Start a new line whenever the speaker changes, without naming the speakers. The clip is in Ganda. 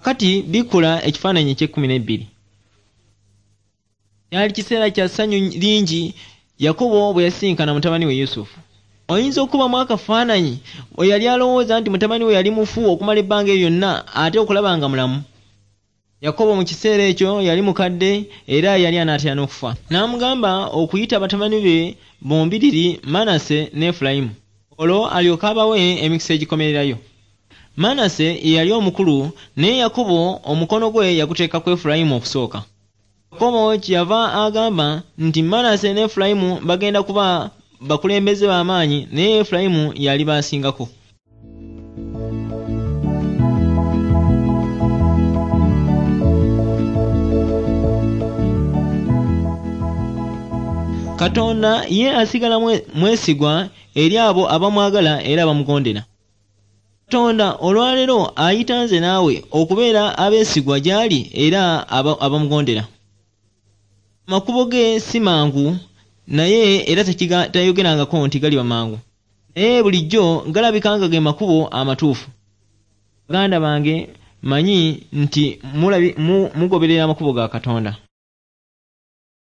Kaakati bikkula ekifaananyi eky'ekkumi n'ebbiri. Kyali kiseera kya ssanyu lingi Yakobo bwe yasisinkana mutabani we Yusufu. Oyinza okukubamu akafaananyi bwe yali alowooza nti mutabani we yali mufu okumala ebbanga eryo lyonna ate okulaba nga mulamu? Yakobo mu kiseera ekyo yali mukadde era yali anaatera n'okufa. N'amugamba okuyita batabani be bombiriri Manase ne Efulayimu, olwo alyoke abawe emikisa egikomererayo. Manase ye yali omukulu, naye Yakobo omukono gwe yaguteeka ku Efulayimu okusooka. Yakobo kyeyava agamba nti Manase ne Efulayimu bagenda kuba bakulembeze ba maanyi, naye Efulayimu y'aliba asingako. Katonda ye asigala mwesigwa eri abo abamwagala era abamugondera. Katonda olwaleero ayita nze naawe okubeera abeesigwa gy'ali era abamugondera. Amakubo ge si mangu naye era tayogerangako nti galiba mangu. Naye bulijjo galabika nga ge makubo amatuufu. Baganda bange, mmanyi nti mugoberera amakubo ga Katonda.